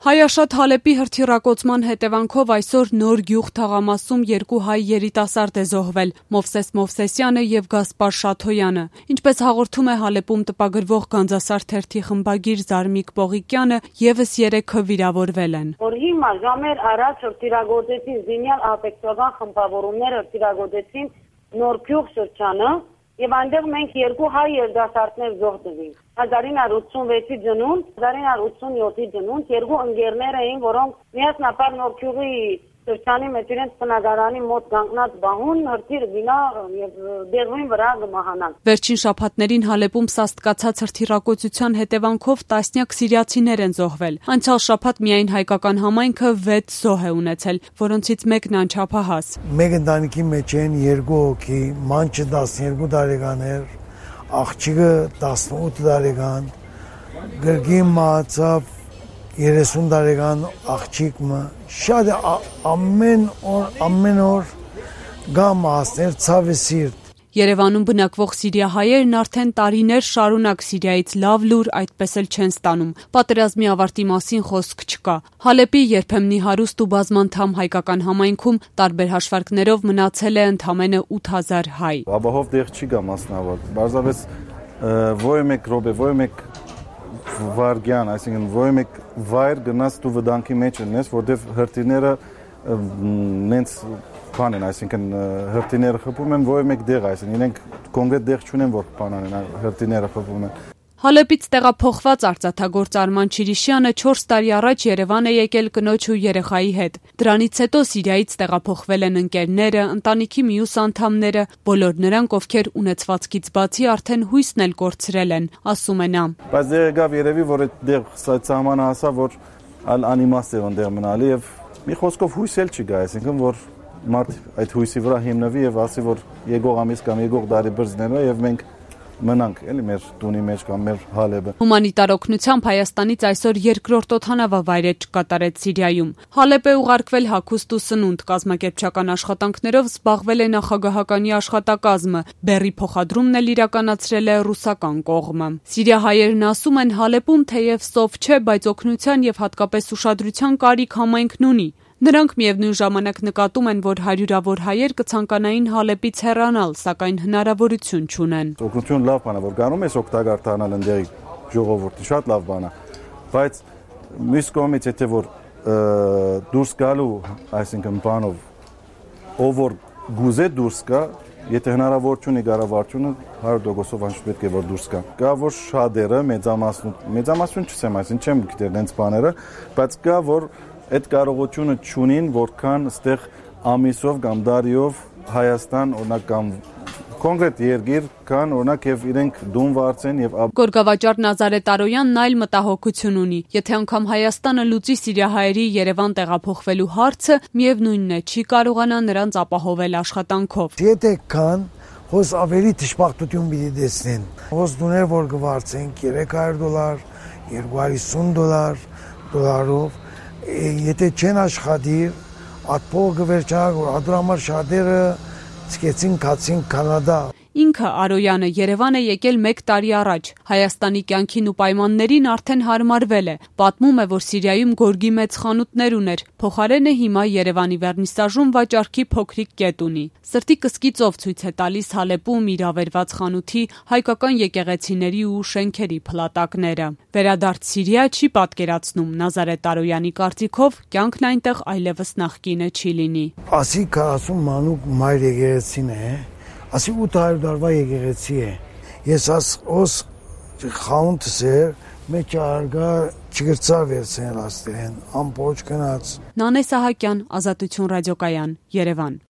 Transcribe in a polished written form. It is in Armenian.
Հայաշատ Հալեպի հրթիռակոծման հետևանքով այսօր Նոր Գյուղ թաղամասում երկու հայ երիտասարդ է զոհվել՝ Մովսես Մովսեսյանը եւ Գասպար Շաթոյանը։ Ինչպես հաղորդում է Հալեպում տպագրվող Գանձասար թերթի խմբագիր Զարմիկ Պողիկյանը, եւս 3-ը վիրավորվել են։ Որ հիմա ժամեր առաջ հրթիռագործեցին զինյալ ահաբեկչական խմբավորումները հրթիռագործեցին Նոր Գյուղ շրջանը եւ այնտեղ մենք երկու հայ երիտասարդներ զոհվեցինք։ 1986-ի ծնունդ, 1987-ի ծնունդ երկու ընկերներ էին, որոնք միասնապար Նոր Գյուղի շրջանի մեջ իրենց բնակարանի մոտ կանգնած բահուն հրթիռ գնա եւ դեղին վրա գմահանան։ Վերջին շաբաթներին Հալեպում սաստկացած հրթիռակոծության հետևանքով տասնյակ սիրիացիներ են զոհվել։ Անցյալ շաբաթ միայն հայկական համայնքը 6 զոհ է ունեցել, որոնցից մեկն անչափահաս։ Մեկ ընտանիքի մեջ են 2 հոգի, մանչը 12 տարեկան էր, աղջիկը 18 տարեկան, գրգին մահացավ 30 տարեկան աղջիկը, շատ ամեն օր գամ ասներ ցավը սիրտ։ Երևանում բնակվող սիրիահայերն արդեն տարիներ շարունակ Սիրիայից լավ լուր այդպես էլ չեն ստանում։ Պատերազմի ավարտի մասին խոսք չկա։ Հալեպի երբեմնի հարուստ ու բազմանդամ հայկական համայնքում տարբեր հաշվարկներով մնացել է ընդամենը 8000 հայ։ Ապահով դեղ չի գա մասնավոր։ Բարձրապես ոյմեկ ռոբե, ոյմեկ վարգյան, այսինքն ոյմեկ վայր գնաց դու վտանգի մեջ ունես, որտեղ հրթիռները նենց բան են, այսինքն հրթիռները խփում են ոյմեկ դեղ, այսինքն իրենք կոնկրետ դեղ չունեն, որ բան անեն, հրթիռները խփում են։ Հալեպից տեղափոխված արծաթագործ Արման Չիրիշյանը 4 տարի առաջ Երևան է եկել կնոջ ու երեխայի հետ։ Դրանից հետո Սիրիայից տեղափոխվել են ընկերները, ընտանիքի մյուս անդամները, բոլոր նրանք, ովքեր ունեցվածքից բացի արդեն հույսն էլ կորցրել են, ասում է նա։ Բայց դե եկավ երևի, որ այդտեղ սահմանը հասավ, որ անիմաստ է այնտեղ մնալի եւ մի խոսքով հույս էլ չկա, այսինքն որ մարդ այդ հույսի վրա հիմնվի եւ ասի, որ եկող ամիս կամ եկող տարի բրզներով եւ մենք մնանք էլի մեր տունի մեջ կամ մեր Հալեպը։ Հումանիտար օգնությամբ Հայաստանից այսօր երկրորդ օդանավավայր կատարեց Սիրիայում։ Հալեպ է ուղարկվել հագուստ ու սնունդ, կազմակերպչական աշխատանքներով զբաղվել է նախագահականի աշխատակազմը, բեռի փոխադրումն էլ իրականացրել է ռուսական կողմը։ Սիրիահայերն ասում են Հալեպում թեև սով չէ, բայց օգնության եւ հատկապես ուշադրության կարիք համայնքն ունի։ Նրանք միևնույն ժամանակ նկատում են, որ հարյուրավոր հայեր կցանկանային Հալեպից հեռանալ, սակայն հնարավորություն չունեն։ Օգնություն լավ բան է, որ գանում ես օգտակար դառնալ ընդդեղի ժողովրդի, շատ լավ բան է, բայց մյուս կողմից եթե որ դուրս գալու, այսինքն բանով, ով որ գուզե դուրս գա, եթե հնարավորություն է կառավարությունը 100%-ով անշուշտ պետք է որ դուրս գա։ Կա որ շատերը մեծամասնություն չեմ, այսինքն չեմ գիտեր դենց բաները, բայց կա որ այդ կարողությունը չունին, որքան ստեղ ամիսով կամ դարիով Հայաստան օրինակ կամ կոնկրետ երկիր կան օրինակ եւ իրենք դուն վարձեն եւ Գորգավաճառ Նազարեթ Արոյանն այլ մտահոգություն ունի։ Եթե անգամ Հայաստանը լուծի սիրիահայերի Երևան տեղափոխվելու հարցը, միևնույնն է, չի կարողանա նրանց ապահովել աշխատանքով։ Եթե կան հոս ավելի դժբախտություն պիտի տեսնեն։ Հոս դուներ որ կվարձեն $300, $250 դոլարով Եթե չեն աշխատիր, այդ փողը կվերջանա, որ դրա համար շատերը սկեցին կացին Կանադա։ Ինքը Արոյանը Երևան է եկել 1 տարի առաջ։ Հայաստանի կյանքին ու պայմաններին արդեն հարմարվել է։ Պատմում է, որ Սիրիայում գորգի մեծ խանութներ ուներ։ Փոխարենը հիմա Երևանի վերնիսաժում վաճառքի փոքրիկ կետ ունի։ Սրտի կսկիծով ցույց է տալիս Հալեպում իր ավերված խանութի հայկական եկեղեցիների ու շենքերի փլատակները։ Վերադարձ Սիրիա չի պատկերացնում Նազարեթ Արոյանի կարծիքով կյանքն այնտեղ այլևս նախկինը չի լինի։ Ասի 40 մանուկ մայր եկեղեցին է։ Ասի 800 տարվա եկեղեցի է։ Ես os խանութս էր, մեջ արգա չգրծա վերցնել աստեն, ամբողջ գնաց։ Նանե Սահակյան, Ազատություն ռադիոկայան, Երևան։